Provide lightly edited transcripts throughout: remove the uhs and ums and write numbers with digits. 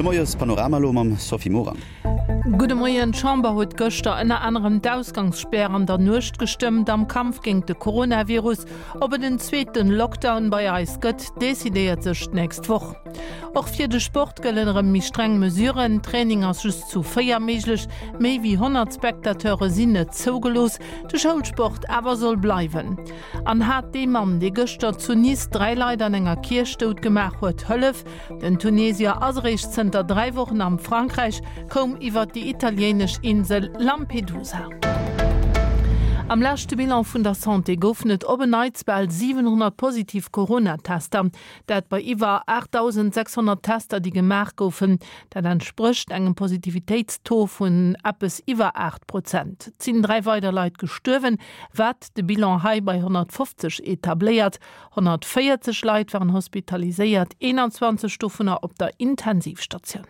De Moies-Panorama elo mam Sophie Morang. Gudde Moien, D'Chamber huet gëschter ënner anerem d'Ausgangsspär an der Nuecht gestëmmt am Kampf géint de Coronavirus. Ob et en zweete Lockdown bei eis gëtt, decidéiert sech d'nächst Woch. Och fir de Sport gëllen erëm méi streng Mesuren, Training ass just zu 4 méiglech, méi wéi 100 Spectateure sinn net zougelooss. De Schoulsport awer soll bleiwen. An hat dee Mann, dee gëschter zu Nice 3 Leit an enger Kierch dout gemaach huet, Hëllef? Den Tunesier ass eréischt zënter 3 Wochen am Frankräich, koum iwwer déi italiéinesch Insel Lampedusa. Am leschte Bilan vun der Santé goufen et op en Neits bal 700 positiv Corona-Tester. Dat bei iwwer 8.600 Tester, déi gemaach goufen. Dat entsprécht engem Positivitéitstaux vun eppes iwwer 8 Prozent. Et sinn 3 weider Leit gestuerwen, wat de Bilan hei bei 150 etabléiert. 140 Leit waren hospitaliséiert, 21 dovunner op der Intensivstatioun.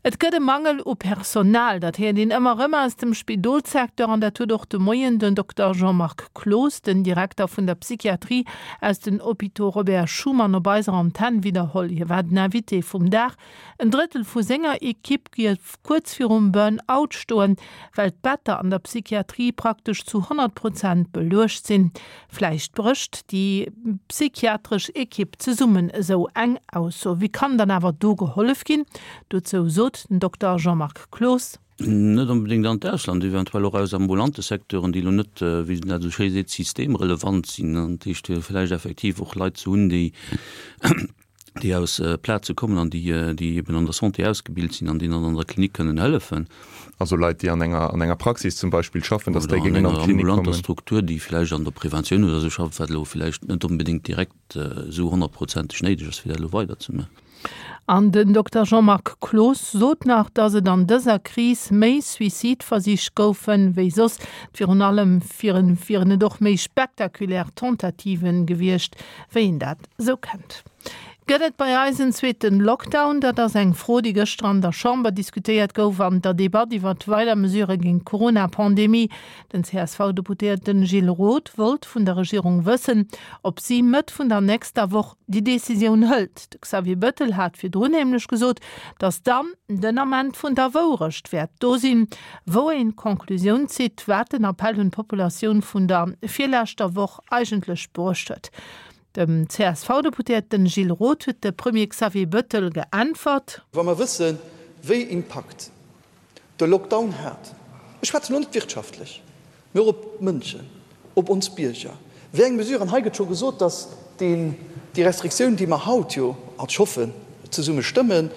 Et gëtt e Mangel u Personal, dat héiert een ëmmer erëm aus dem Spidolssecteur an dat huet och de Moien den Dokter Jean-Marc Cloos, den Direkter vun der Psychiatrie aus den Hôpitaux Robert Schuman op eiser Antenn widderholl. Hie war den Invité vum Dag. En Drëttel vu senger Ekipp géif kuerz virum Burn-out stoen, well d'Better an der Psychiatrie praktesch zu 100 Prozent beluecht sinn. Vläicht brécht déi psychiatresch Ekipp zesummen, esou eng Ausso. Wéi kann dann awer do gehollef ginn? Dozou sot den Dokter Jean-Marc Cloos. Net onbedéngt an d'Ausland, eventuell och aus ambulante Secteuren, déi elo net, wéi een dat esou schéi seet, systemrelevant sinn. Dat heescht, vläicht effektiv och Leit ze hunn, déi déi aus Plaze kommen an déi, déi eben an der Santé ausgebilt sinn an déi dann an der Klinik kënnen hëllefen. Also Leit, déi an enger, an enger Praxis zum Beispill schaffen, datt déi géingen an d'Klinik kommen. Oder an enger ambulanter Struktur, déi vläicht an der Preventioun oder esou schafft, wat elo vläicht net onbedéngt direkt esou honnertprozenteg néideg ass, fir dat elo weiderzemaachen. An den Dokter Jean-Marc Cloos sot nach, datt et an dëser Kris méi Suicideversich goufen, wéi soss. Virun allem wieren et och méi spektakulär Tentativen gewiescht, wéi een dat esou kennt. Gëtt et bei eis en zweeten Lockdown? Dat ass eng Fro, déi gëschter an der Chamber diskutéiert gouf an der Debatt iwwert weider Mesurë géint d'Corona-Pandemie. Den CSV-Deputéierten Gilles Roth wollt vun der Regierung wëssen, ob si Mëtt vun der nächster Woch déi Decisioun hëlt. De Xavier Bëttel hat virdrun nämlech gesot, datt dann den Ament vun der Wourecht wäert do sinn, wou een d'Conclusioun zitt, wat den Appell un d'Populatioun vun der virleschter Woch eigentlech bruecht huet. Dem CSV-Deputéierten Gilles Roth huet de Premier Xavier Bëttel geäntwert. Wa mer wëssen, wéi Impakt de Lockdown hat, ech schwätzen elo net wirtschaftlech, mee och op d'Mënschen, op ons Bierger, wéi eng Mesuren, hei gëtt scho gesot, datt deen, déi Restriktioun, déi mer haut jo, ech hoffen, zesumme stëmmen,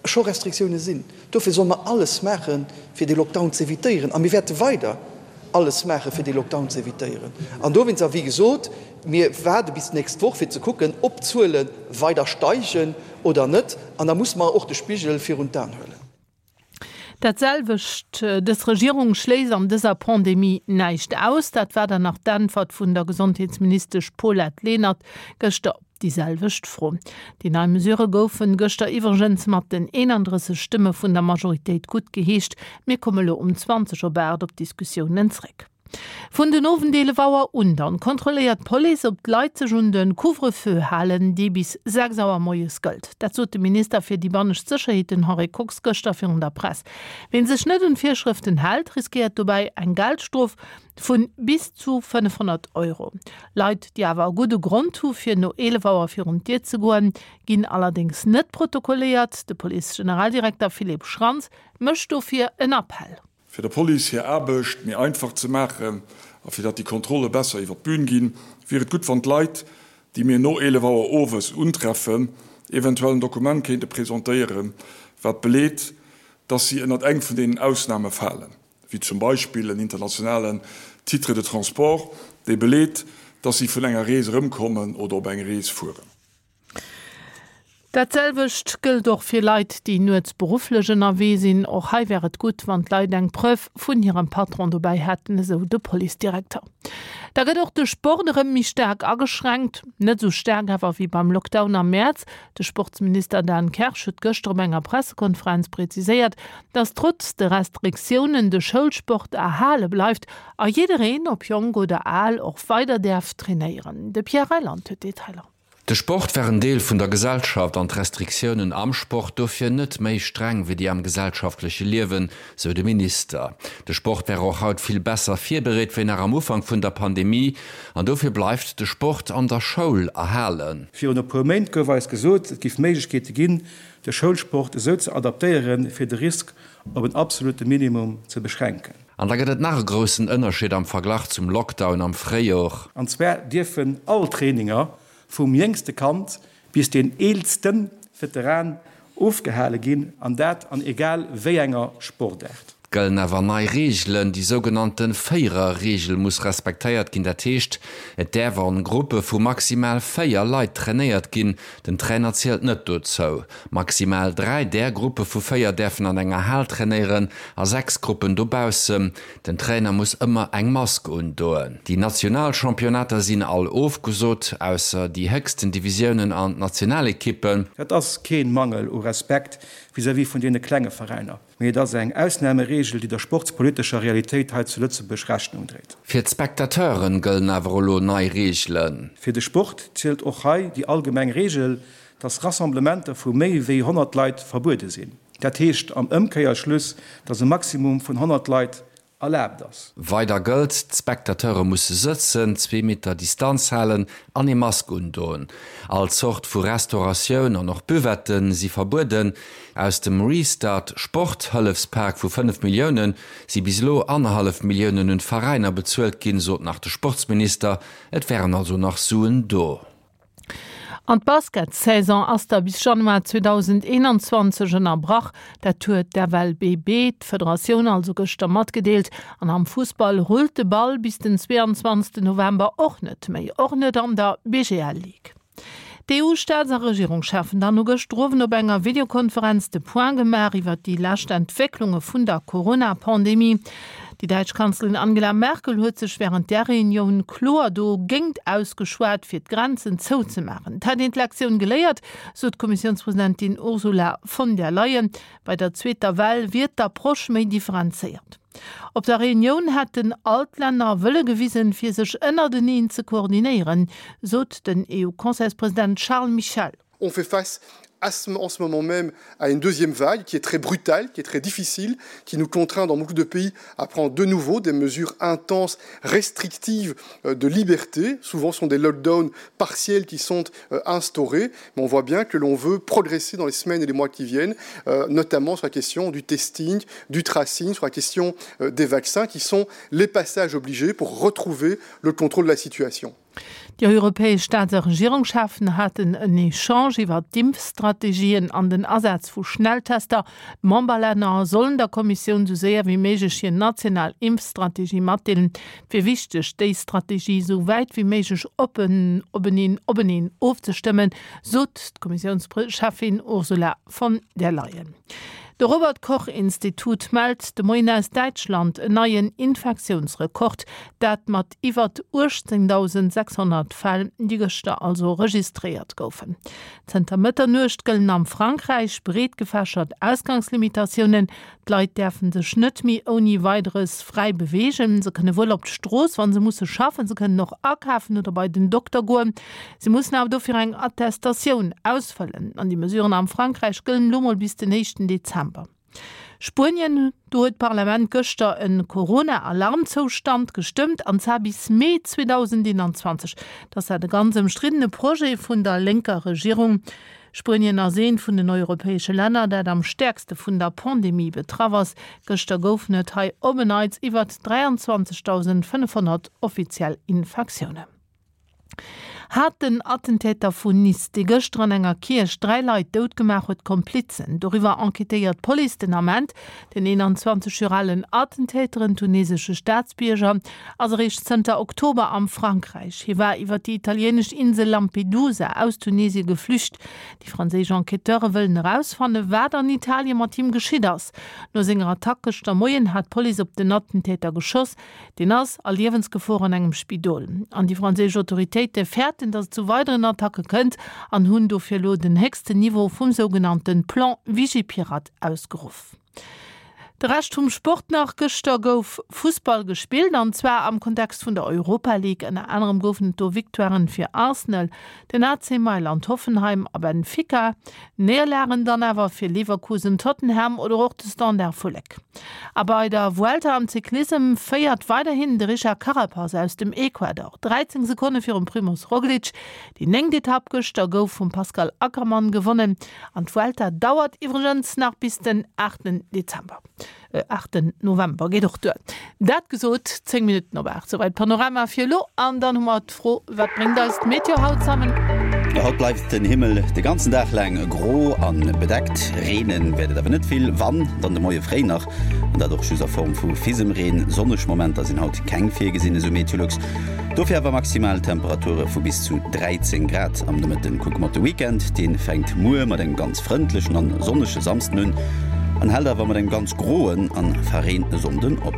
scho Restriktioune sinn. Dofir solle mer alles maachen, fir dee Lockdown ze evitéieren. A mir wäerte weider alles maachen, fir dee Lockdown ze evitéieren. An dowéinst, a wéi gesot, mir waarde bis d'nächst Woch, fir ze kucken, ob d'Zuele weider steigen oder net. An da musse mer och de Spigel virun d'Aen huelen. Dat selwecht, dës Regierung schléisst an dëser Pandemie näischt aus. Dat war dann nach d'Äntwert vun der Gesondheetsministesch Paulette Lenert gëschter op déi selwecht Fro. Déi nei Mesurë goufen gëschter iwwregens mat den 31 Stëmme vun der Majoritéit guttgeheescht. Mir komme lo um 20 op 8 op d'Diskussiounen zréck. Vun den Owend 11 Auer un dann kontrolléiert d'Police, ob d'Leit sech un de Couvre-feu halen, dee bis 6 Auer moies gëllt. Dat sot de Minister fir déi bannescht Sécherheet, den Henri Kox, gëschter virun der Press. Ween sech net un d'Virschrëften hält, riskéiert dobäi eng Geldstrof vu bis zu 500 Euro. Leit, déi awer e gudde Grond hu fir no 11 Auer virun d'Dier ze goen, ginn allerdéngs net protokolléiert. De Police-Generaldirekter Philippe Schrantz mécht dofir en Appell. Fir der Police hir Aarbecht méi einfach ze maachen a fir datt déi Kontrolle besser iwwer d'Bün ginn, wier et gutt, wann d'Leit, déi mir no 11 Auer owes untreffen, eventuell en Dokument kéinte presentéieren, wat beleet, datt si ënnert eng vun deenen Ausname falen, wéi zum Beispill en internationalen Titre de transport, dee beleet, datt si vun enger Rees erëmkommen oder op eng Rees fueren. Dat selwecht gëllt och fir Leit, déi nuets berufflech ënnerwee sinn. Och hei wär et gutt, wann d'Leit eng Preuve vun hirem Patron dobäi hätten, esou de Policedirekter. Da gëtt och de Sport erëm méi staark ageschränkt. Net esou staark awer wéi beim Lockdown am Mäerz. De Sportsminister Dan Kersch huet gëschter op enger Pressekonferenz preziséiert, datt trotz de Restriktiounen de Schoulsport erhale bleift a jiddereen, ob jonk oder al, och weider däerf trainéieren. De Pierre Reyland huet d'Detailer. De Sport wär en Deel vun der Gesellschaft an d'Restriktiounen am Sport dofir net méi streng wéi déi am gesellschaftleche Liewen, sou de Minister. De Sport wär och haut vill besser virbereet wéi nach am Ufank vun der Pandemie an dofir bleift de Sport an der Schoul erhalen. Virun e puer Méint gouf eis gesot, et giff Méiglechkeete ginn, de Schoulsport esou ze adaptéieren, fir de Risk op en absolute Minimum ze beschränken. An da gëtt et nach e groussen Ënnerscheed am Verglach zum Lockdown am Fréijor. An zwar dierfen all Traininger vum jéngste Kand bis deen eelste Veteran ofgehale ginn, an dat an egal wéi enger Sportaart. Et gëllen awer nei Reegelen, Déi sougenannte Véierer-Reegel muss respektéiert ginn. Dat heescht, et däerf an Gruppe vu maximal 4 Leit trainéiert ginn. Den Trainer zielt net dozou. Maximal 3 där Gruppe vu 4 däerfen an enger Hal trainéieren a 6 Gruppen dobaussen. Den Trainer muss ëmmer eng Mask undoen. Déi national Championnater sinn all ofgesot, ausser déi héchsten Divisiounen an d'Nationalekippen. Dat ass keen Mangel u Respekt vis-à-vis vun deene klenge Veräiner, mee et ass eng Ausnahmeregel, déi der sportspolitescher Realitéit hei zu Lëtzebuerg Rechnung dréit. Fir d'Spectateuren gëllen awer elo nei Reegelen. Fir de Sport zielt och hei déi allgemeng Reegel, dass Rassemblementer vu méi wéi 100 Leit verbuede sinn. Dat heescht am Ëmkéierschluss, dass e Maximum vun 100 Leit erlaabt ass. Weider gëllt, D'Spectateure musse sëtzen, zwee Meter Distanz halen an ee Mask undoen. All Zort vu Restauratioun an och Buvette si verbueden. Aus dem Restart Sport-Hëllefspak vu 5 Millioune si bis elo annerhallef Milliounen un d'Veräiner bezuelt ginn, sot nach de Sportsminister. Et wären also nach Suen do. An d'Basketsaison ass da bis Januar 2021 ënnerbrach. Dat huet d'FLBB, d'Federatioun also, gëschter matgedeelt. An am Fussball rullt de Ball bis den 22 November och net méi, och net an der BGL Ligue. D'EU-Staats a Regierungscheffen dann hu gëschter Owend op enger Videokonferenz de Point gemaach iwwert déi lescht Entwécklunge vun der Corona-Pandemie. Déi däitsch Kanzlerin Angela Merkel huet sech wärend där Reunioun kloer do géint ausgeschwat, fir d'Grenzen zouzemaachen. Et hätt een d'Lektioun geléiert, sot d'Kommissiounspresidentin Ursula von der Leyen. Bei der zweeter Well wier d'Approche méi differenzéiert. Op der Reunioun hätten all d'Länner Wëlle gewisen, fir sech ënnerteneen ze koordinéieren, sot den EU-Conseilspresident Charles Michel. On fait face à ce, en ce moment même à une deuxième vague qui est très brutale, qui est très difficile, qui nous contraint dans beaucoup de pays à prendre de nouveau des mesures intenses, restrictives euh, de liberté. Souvent ce sont des lockdowns partiels qui sont euh, instaurés, mais on voit bien que l'on veut progresser dans les semaines et les mois qui viennent, euh, notamment sur la question du testing, du tracing, sur la question des vaccins qui sont les passages obligés pour retrouver le contrôle de la situation. Déi europäesch Staats a Regierungscheffen haten en Echange iwwer d'Impfstrategien an den Asaz vu Schnelltester. D'Memberlänner sollen der Kommissioun sou séier wéi méiglech hir national Impfstrategie matdeelen. Et wier wichteg, déi Strategie sou wäit wéi méiglech oppen openeen openeen ofzestëmmen, sot d'Kommissiounscheffin Ursula von der Leyen. De Robert Koch Institut mellt de Moien aus Däitschland en neien Infektiounsrekord, dat mat iwwert 18.600 Fäll, déi gëschter also registréiert goufen. Zënter Mëtternuecht gëllen am Frankräich breetgefächert Ausgangslimitatiounen. D'Leit däerfe sech net méi ouni Weideres fräi beweegen. Se kënne wuel op d'Strooss, wa se musse schaffen. Se kënnen och akafen oder bei den Dokter goen. Se mussen awer dofir eng Attestatioun ausfëllen. An déi Mesuren am Frankräich gëllen elo mol bis den éischten Dezember. Spuenien, Do huet d'Parlament gëschter e Corona-Alarmzoustand gestëmmt, an zwar bis Mee 2021. Et ass dat e ganz ëmstriddene Projet vun der lénker Regierung. Spuenien ass eent vun den europäesche Länner, dat am stäerkste vun der Pandemie betraff ass. Gëschter goufen et hei op en Neits iwwert 23.500 offiziell Infektiounen. Hat den Attentäter vun Nice, dee gëschter an enger Kierch 3 Leit dout gemaach huet, Komplizen? Doriwwer enquêtéiert d'Police den Ament. Den 21 Joer alen Attentäter, en tunesesche Staatsbierger, ass eréischt zënter Oktober am Frankräich. Hie war iwwer déi italieenesch Insel Lampedusa aus Tunesie geflücht. Déi franséisch Enquêteure wëllen erausfannen, wat an Italie mat him geschitt ass. No senger Attack gëschter Moien hat d'Police op den Attentäter geschoss. Deen ass a Liewensgefor an engem Spidol. An déi franséisch Autoritéite fäerten, datt et zu weideren Attacke kënnt an hunn dofir elo den héchsten Niveau vum sougenannte Plan Vigipirate ausgeruff. De Rescht vum Sport nach, Gëschter gouf Fussball gespillt an zwar am Kontext vun der Europa League. Ënner anerem goufen et do Victoiren fir Arsenal, den AC Mailand, Hoffenheim a Benfica. Néierlagen dann awer fir Leverkusen, Tottenham oder och de Standard vu Léck. A bei der Vuelta am Cyclissem féiert weiderhin de Richard Carapaz aus dem Ecuador, 13 Sekonne virum Primoz Roglic. Déi néngt Etapp gëschter gouf vum Pascal Ackermann gewonnen an d'Vuelta dauert iwwregens nach bis den 8 Dezember. Aachten November geet och duer. Dat gesot, 10 Minutten op 8, souwäit Panorama fir elo. An dann hu mer d'Fro, Wat bréngt eis d'Meteo haut zammen? Haut bleift den Himmel de ganzen Dag laang gro a bedeckt. Reene wäert et awer net vill, wann, dann de Moie fréi nach, an dat och just a Form vu Fisemreen. Sonneg Momenter sinn haut keng virgesinn, esou Meteolux. Dofir awer maximal Temperature vu bis zu 13 Grad am Nomëtten. Kucke mer op de Weekend, dee fänkt muer mat engem ganz frëndlechen an sonnege Samsden un an hält awer mat engem ganz groen an verreente Sonnden op.